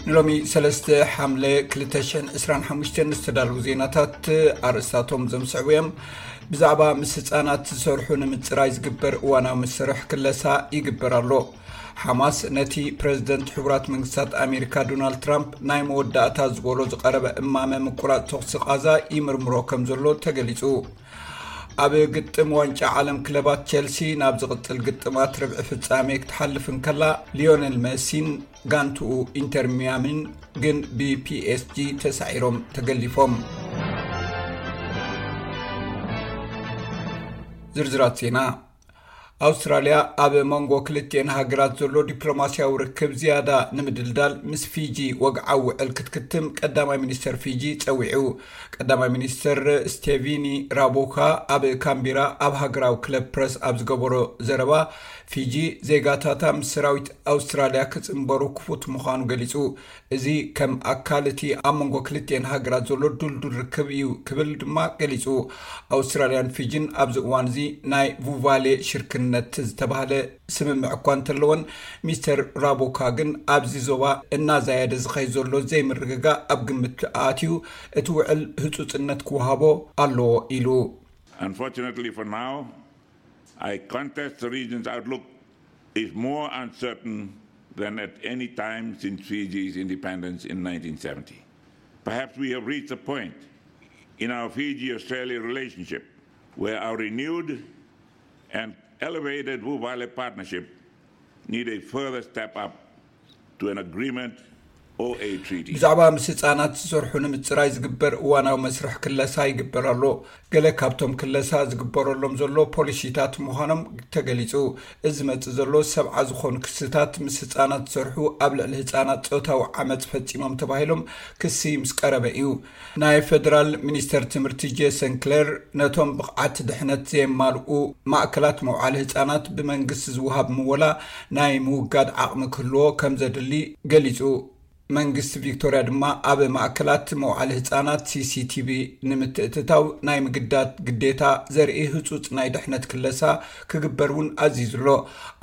ንሎሚ ሰለስተ ሓምለ ክልተ ሽሕን ዕስራን ሓሙሽተን ዝተዳለዉ ዜናታት ኣርእስታቶም ዘምስዕቡ እዮም። ብዛዕባ ምስ ህጻናት ዝሰርሑ ንምጽራይ ዝግበር እዋናዊ መስርሕ ክለሳ ይግበር ኣሎ። ሓማስ ነቲ ፕረዚደንት ሕቡራት መንግስታት ኣሜሪካ ዶናልድ ትራምፕ ናይ መወዳእታ ዝበሎ ዝቐረበ እማመ ምቁራጽ ተኹሲ ቓዛ ይምርምሮ ከም ዘሎ ተገሊጹ። ኣብ ግጥም ዋንጫ ዓለም ክለባት፣ ቸልሲ ናብ ዝቕጽል ግጥማት ርብዒ ፍጻሜ ክትሓልፍ እንከላ፣ ሊዮነል መሲን ጋንትኡ ኢንተር ሚያሚን ግን ብፒኤስጂ ተሳዒሮም ተገሊፎም። ዝርዝራት ዜና። ኣውስትራልያ ኣብ መንጎ ክልቲኤን ሃገራት ዘሎ ዲፕሎማስያዊ ርክብ ዝያዳ ንምድልዳል ምስ ፊጂ ወግዓዊ ውዕል ክትክትም ቀዳማይ ሚኒስተር ፊጂ ጸዊዑ። ቀዳማይ ሚኒስተር ስቴቪኒ ራቦካ ኣብ ካምቢራ ኣብ ሃገራዊ ክለብ ፕረስ ኣብ ዝገበሮ ዘረባ፣ ፊጂ ዜጋታታ ምስ ሰራዊት ኣውስትራልያ ክጽንበሩ ክፉት ምዃኑ ገሊጹ። እዚ ከም ኣካል እቲ ኣብ መንጎ ክልቲኤን ሃገራት ዘሎ ድልዱል ርክብ እዩ ክብል ድማ ገሊጹ። ኣውስትራልያን ፊጂን ኣብዚ እዋን እዚ ናይ ቡቫሌ ሽርክነት ዝተባህለ ስምምዕ እኳ እንተለወን፣ ሚስተር ራቦካ ግን ኣብዚ ዞባ እናዛየደ ዝኸይ ዘሎ ዘይምርግጋእ ኣብ ግምት ኣትዩ እቲ ውዕል ህጹጽነት ክወሃቦ ኣለዎ ኢሉ። Unfortunately for now, I contest the region's outlook is more uncertain than at any time since Fiji's independence in nineteen seventy. Perhaps we have reached a point in our Fiji-Australia relationship where our renewed and elevated Vuvale partnership need a further step up to an agreement or a treaty. ብዛዕባ ምስ ህጻናት ዝሰርሑ ንምጽራይ ዝግበር እዋናዊ መስርሕ ክለሳ ይግበር ኣሎ። ገለ ካብቶም ክለሳ ዝግበረሎም ዘሎ ፖሊሲታት ምዃኖም ተገሊጹ። እዚ ዝመጽእ ዘሎ ሰብዓ ዝኾኑ ክስታት ምስ ህጻናት ዝሰርሑ ኣብ ልዕሊ ህጻናት ጾታዊ ዓመጽ ፈጺሞም ተባሂሎም ክሲ ምስ ቀረበ እዩ። ናይ ፈደራል ሚኒስተር ትምህርቲ ጄሰን ክለር ነቶም ብቕዓት ድሕነት ዘየማልኡ ማእከላት መውዓሊ ህጻናት ብመንግስቲ ዝወሃብ ምወላ ናይ ምውጋድ ዓቕሚ ክህልዎ ከም ዘድሊ ገሊጹ። መንግስቲ ቪክቶርያ ድማ ኣብ ማእከላት መውዓሊ ህጻናት ሲሲቲቪ ንምትእትታው ናይ ምግዳድ ግዴታ ዘርኢ ህጹጽ ናይ ድሕነት ክለሳ ክግበር እውን ኣዚዙ ኣሎ።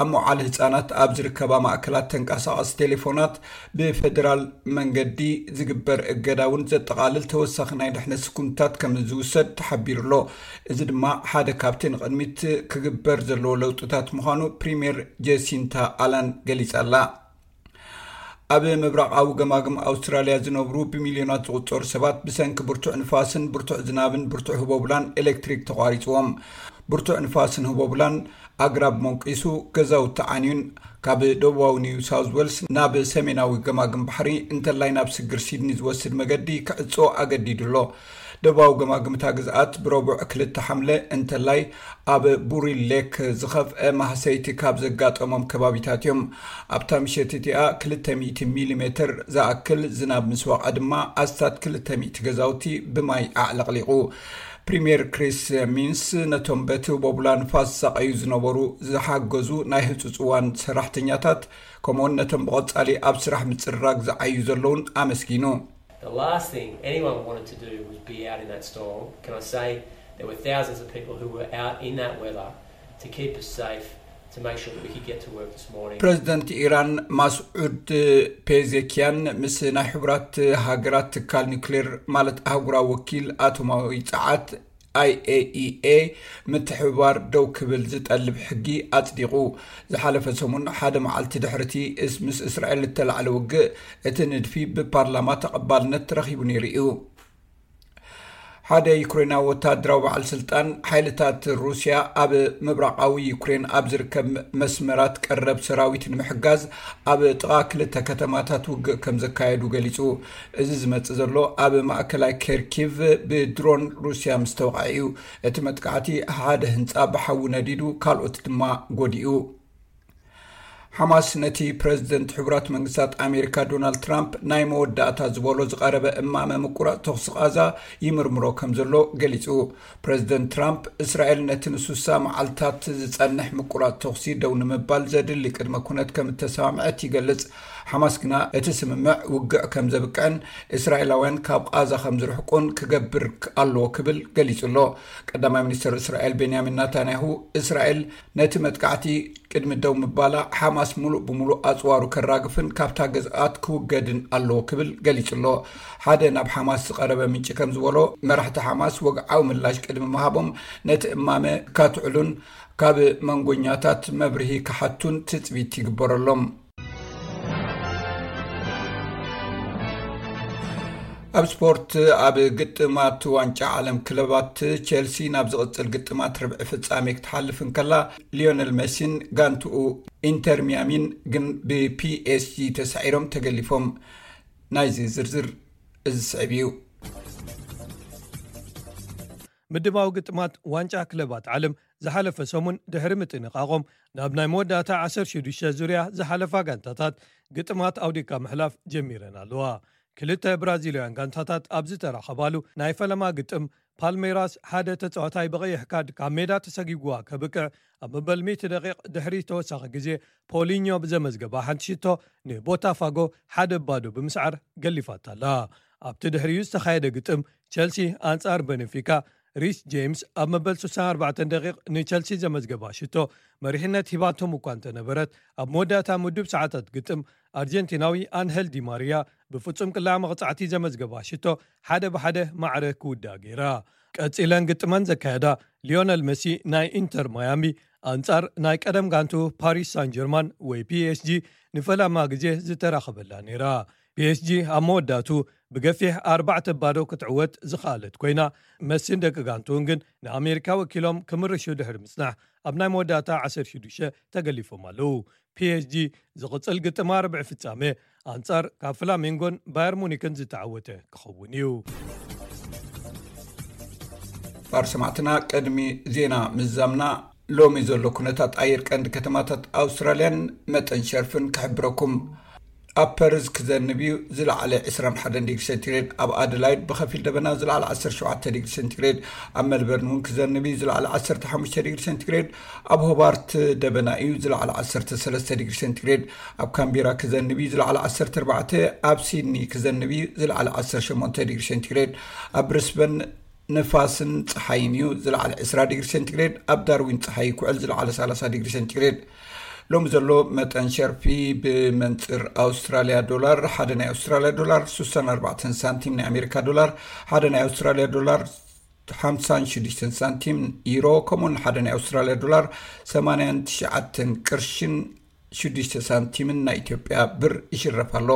ኣብ መውዓሊ ህጻናት ኣብ ዝርከባ ማእከላት ተንቀሳቐሲ ቴሌፎናት ብፈደራል መንገዲ ዝግበር እገዳ እውን ዘጠቓልል ተወሳኺ ናይ ድሕነት ስጉምትታት ከም ዝውሰድ ተሓቢሩ ኣሎ። እዚ ድማ ሓደ ካብቲ ንቕድሚት ክግበር ዘለዎ ለውጥታት ምዃኑ ፕሪምየር ጀሲንታ ኣላን ገሊጻ ኣላ። ኣብ ምብራቓዊ ገማግም ኣውስትራልያ ዝነብሩ ብሚልዮናት ዝቑጸሩ ሰባት ብሰንኪ ብርቱዕ ንፋስን ብርቱዕ ዝናብን ብርቱዕ ህቦብላን ኤሌክትሪክ ተቋሪጽዎም። ብርቱዕ ንፋስን ህቦብላን ኣግራብ መንቂሱ፣ ገዛውቲ ዓንዩን ካብ ደቡባዊ ኒው ሳውዝ ዌልስ ናብ ሰሜናዊ ገማግም ባሕሪ እንተላይ ናብ ስግር ሲድኒ ዝወስድ መገዲ ክዕጾ ኣገዲዱ ኣሎ። ደቡባዊ ገማግምታ ግዝኣት ብረቡዕ ክልተ ሓምለ እንተላይ ኣብ ቡሪ ሌክ ዝኸፍአ ማህሰይቲ ካብ ዘጋጠሞም ከባቢታት እዮም። ኣብታ ምሸት እቲኣ ክልተ ሚእቲ ሚሊ ሜተር ዝኣክል ዝናብ ምስ ወቕዐ ድማ ኣስታት ክልተ ሚእቲ ገዛውቲ ብማይ ኣዕለቕሊቑ። ፕሪምየር ክሪስ ሚንስ ነቶም በቲ ቦቡላ ንፋስ ዝሳቐዩ ዝነበሩ ዝሓገዙ ናይ ህጹጽ እዋን ሰራሕተኛታት፣ ከምኡውን ነቶም ብቐጻሊ ኣብ ስራሕ ምጽርራግ ዝዓዩ ዘለውን ኣመስጊኑ። The last thing anyone wanted to do was be out in that storm. Can I say there were thousands of people who were out in that weather to keep us safe, to make sure that we could get to work this morning. ፕረዚደንት ኢራን ማስዑድ ፔዜኪያን ምስ ናይ ሕቡራት ሃገራት ትካል ኒውክሌር፣ ማለት ኣህጉራዊ ወኪል ኣቶማዊ ጸዓት፣ ኣይኤኢኤ፣ ምትሕብባር ደው ክብል ዝጠልብ ሕጊ ኣጽዲቑ። ዝሓለፈ ሰሙን ሓደ መዓልቲ ድሕርቲ ምስ እስራኤል እተላዕለ ውግእ፣ እቲ ንድፊ ብፓርላማ ተቐባልነት ረኺቡ ነይሩ እዩ። ሓደ ዩክሬናዊ ወታደራዊ በዓል ስልጣን፣ ሓይልታት ሩስያ ኣብ ምብራቓዊ ዩክሬን ኣብ ዝርከብ መስመራት ቀረብ ሰራዊት ንምሕጋዝ ኣብ ጥቓ ክልተ ከተማታት ውግእ ከም ዘካየዱ ገሊጹ። እዚ ዝመጽእ ዘሎ ኣብ ማእከላይ ኬርኪቭ ብድሮን ሩስያ ምስ ተወቕዐ እዩ። እቲ መጥቃዕቲ ሓደ ህንጻ ብሓዊ ነዲዱ፣ ካልኦት ድማ ጎዲኡ። ሓማስ ነቲ ፕረዚደንት ሕቡራት መንግስታት ኣሜሪካ ዶናልድ ትራምፕ ናይ መወዳእታ ዝበሎ ዝቐረበ እማመ ምቁራጽ ተኹሲ ቓዛ ይምርምሮ ከም ዘሎ ገሊጹ። ፕረዚደንት ትራምፕ፣ እስራኤል ነቲ ንሱሳ መዓልታት ዝጸንሕ ምቁራጽ ተኹሲ ደው ንምባል ዘድሊ ቅድመ ኩነት ከም እተሰማምዐት ይገልጽ። ሓማስ ግና እቲ ስምምዕ ውግዕ ከም ዘብቅዕን እስራኤላውያን ካብ ቓዛ ከም ዝርሕቁን ክገብር ኣለዎ ክብል ገሊጹ ኣሎ። ቀዳማይ ሚኒስትር እስራኤል ቤንያሚን ናታንያሁ፣ እስራኤል ነቲ መጥቃዕቲ ቅድሚ ደው ምባላ ሓማስ ሙሉእ ብሙሉእ ኣጽዋሩ ከራግፍን ካብታ ግዝኣት ክውገድን ኣለዎ ክብል ገሊጹ ኣሎ። ሓደ ናብ ሓማስ ዝቐረበ ምንጪ ከም ዝበሎ፣ መራሕቲ ሓማስ ወግዓዊ ምላሽ ቅድሚ ምሃቦም ነቲ እማመ ካትዕሉን ካብ መንጎኛታት መብርሂ ክሓቱን ትጽቢት ይግበረሎም። ኣብ ስፖርት፣ ኣብ ግጥማት ዋንጫ ዓለም ክለባት፣ ቸልሲ ናብ ዝቕጽል ግጥማት ርብዒ ፍጻሜ ክትሓልፍ እንከላ፣ ሊዮነል ሜሲን ጋንትኡ ኢንተር ሚያሚን ግን ብፒኤስጂ ተሳዒሮም ተገሊፎም። ናይዚ ዝርዝር እዚ ስዕብ እዩ። ምድባዊ ግጥማት ዋንጫ ክለባት ዓለም ዝሓለፈ ሰሙን ድሕሪ ምጥንቓቖም፣ ናብ ናይ መወዳእታ ዓሰርተ ሽዱሽተ ዙርያ ዝሓለፋ ጋንታታት ግጥማት ኣውዲካ ምሕላፍ ጀሚረን ኣለዋ። ክልተ ብራዚላውያን ጋንታታት ኣብ ዝተራኸባሉ ናይ ፈለማ ግጥም፣ ፓልሜራስ ሓደ ተጻዋታይ ብቐይሕ ካርድ ካብ ሜዳ ተሰጊግዋ ከብቅዕ፣ ኣብ መበል ሚእቲ ደቂቕ ድሕሪ ተወሳኺ ግዜ ፖሊኞ ብዘመዝገባ ሓንቲ ሽቶ ንቦታፋጎ ሓደ ባዶ ብምስዓር ገሊፋታ ኣላ። ኣብቲ ድሕሪኡ ዝተኻየደ ግጥም፣ ቸልሲ ኣንጻር በነፊካ፣ ሪስ ጄምስ ኣብ መበል ስሳን ኣርባዕተን ደቂቕ ንቸልሲ ዘመዝገባ ሽቶ መሪሕነት ሂባቶም እኳ እንተነበረት፣ ኣብ መወዳእታ ምዱብ ሰዓታት ግጥም፣ ኣርጀንቲናዊ ኣንሄል ዲ ማሪያ ብፍጹም ቅላዕ መቕጻዕቲ ዘመዝገባ ሽቶ ሓደ ብሓደ ማዕረ ክውዳእ ገይራ። ቀጺለን ግጥመን ዘካየዳ፣ ሊዮነል መሲ ናይ ኢንተር ማያሚ ኣንጻር ናይ ቀደም ጋንቱ ፓሪስ ሳን ጀርማን ወይ ፒኤስጂ ንፈላማ ግዜ ዝተራኸበላ ነይራ። ፒኤስጂ ኣብ መወዳቱ ብገፊሕ ኣርባዕተ ባዶ ክትዕወት ዝኸኣለት ኮይና፣ መሲን ደቂ ጋንቱን ግን ንኣሜሪካ ወኪሎም ክምርሹ ድሕሪ ምጽናሕ፣ ኣብ ናይ መወዳእታ ዓሰርተ ሽዱሽተ ተገሊፎም ኣለዉ። ፒኤስጂ ዝቕጽል ግጥማ ርብዒ ፍጻሜ ኣንጻር ካብ ፍላሜንጎን ባየር ሙኒክን ዝተዓወተ ክኸውን እዩ። ባር ሰማዕትና፣ ቅድሚ ዜና ምዛምና፣ ሎሚ ዘሎ ኩነታት ኣየር ቀንዲ ከተማታት ኣውስትራልያን መጠን ሸርፍን ክሕብረኩም። ኣብ ፐርዝ ክዘንብ እዩ፣ ዝለዓለ ዕስራን ሓደን ዲግሪ ሴንቲግሬድ። ኣብ ኣደላይድ ብኸፊል ደበና፣ ዝለዓለ ዓሰርተ ሸውዓተ ዲግሪ ሴንቲግሬድ። ኣብ ሜልበርን እውን ክዘንብ እዩ፣ ዝለዓለ ዓሰርተ ሓሙሽተ ዲግሪ ሴንቲግሬድ። ኣብ ሆባርት ደበና እዩ፣ ዝለዓለ ዓሰርተ ሰለስተ ዲግሪ ሴንቲግሬድ። ኣብ ካምቤራ ክዘንብ እዩ፣ ዝለዓለ ዓሰርተ ኣርባዕተ። ኣብ ሲድኒ ክዘንብ እዩ፣ ዝለዓለ ዓሰርተ ሸሞንተ ዲግሪ ሴንቲግሬድ። ኣብ ብሪስበን ንፋስን ጸሓይን እዩ፣ ዝለዓለ ዕስራ ዲግሪ ሴንቲግሬድ። ኣብ ዳርዊን ጸሓይ ይኩዕል፣ ዝለዓለ ሰላሳ ዲግሪ ሴንቲግሬድ። ሎሚ ዘሎ መጠን ሸርፊ ብመንጽር ኣውስትራልያ ዶላር፣ ሓደ ናይ ኣውስትራልያ ዶላር ስሳን ኣርባዕተን ሳንቲም፣ ናይ ኣሜሪካ ዶላር ሓደ ናይ ኣውስትራልያ ዶላር ሓምሳን ሽዱሽተን ሳንቲም፣ ዩሮ ከምኡውን ሓደ ናይ ኣውስትራልያ ዶላር ሰማንያን ትሽዓተን ቅርሽን ሽዱሽተ ሳንቲምን ናይ ኢትዮጵያ ብር ይሽረፍ ኣሎ።